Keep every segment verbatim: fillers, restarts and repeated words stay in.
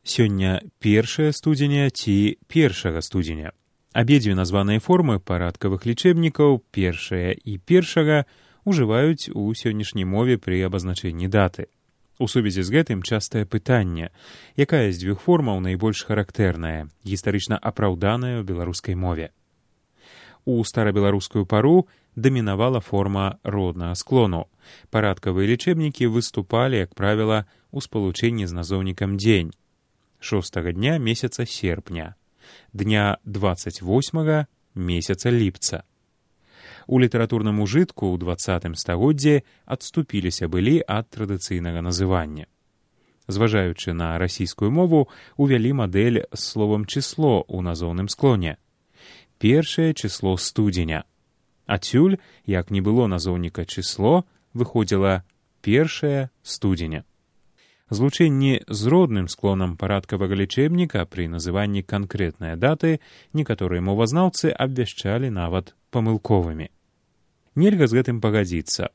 Сёння першае студзеня ці першага студзеня. Абедзве названыя формы парадкавых лічэбнікаў, першая і першага, ужываюць у сённяшняй мове пры абазначэнні даты. У сувязі з гэтым частае пытанне, якая з дзвюх формаў найбольш характэрная, гістарычна апраўданая ў беларускай мове. У старабеларускую пару дамінавала форма роднага склону. Парадкавыя лічэбнікі выступалі, як правіла, у спалучэнні з назоўнікам дзень. Шостага дня месяца серпня, дня дваццаць восьмага месяца ліпца. У літаратурным ужытку ў дваццатым стагоддзі адступіліся былі ад традыцыйнага называння. Зважаючы на расійскую мову, увялі мадэль з словам чысло ў назоўным склоне. Першае чысло студзеня. Адсюль, як не было назоўніка чысло, выходзіла першае студзеня. Злучэнні з родным склонам парадкавага лічэбніка пры называнні канкрэтнай даты некаторыя мовазнаўцы абвяшчалі нават памылковымі. Нельга з гэтым пагадзіцца.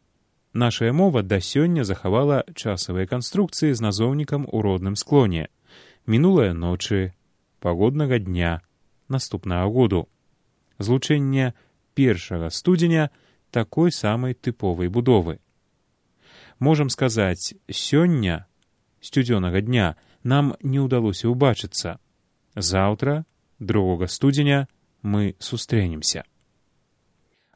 Нашая мова да сёння захавала часавыя канструкцыі з назоўнікам у родным склоне. Мінулая ночы, пагоднага дня, наступнага году. Злучэнне першага студзеня такой самай тыповай будовы. Можам сказаць, сёння, сцюдзёнага дня, нам не ўдалося ўбачыцца. Заўтра, другога студзеня, мы сустрэнемся.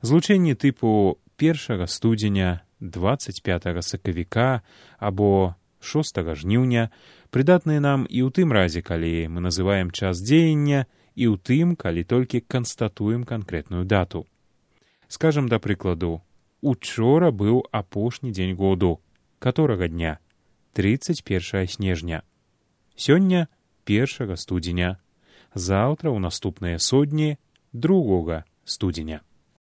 Злучэнні тыпу першага студзеня, дваццаць пятага сакавіка або шостага жніўня прыдатныя нам і ў тым разе, калі мы называем час дзеяння, і ў тым, калі толькі канстатуем канкрэтную дату. Скажам, да прыкладу, учора быў апошні дзень году, каторага дня, трыццаць першага снежня. Сёння першага студзеня, заўтра ў наступныя содні другога студзеня.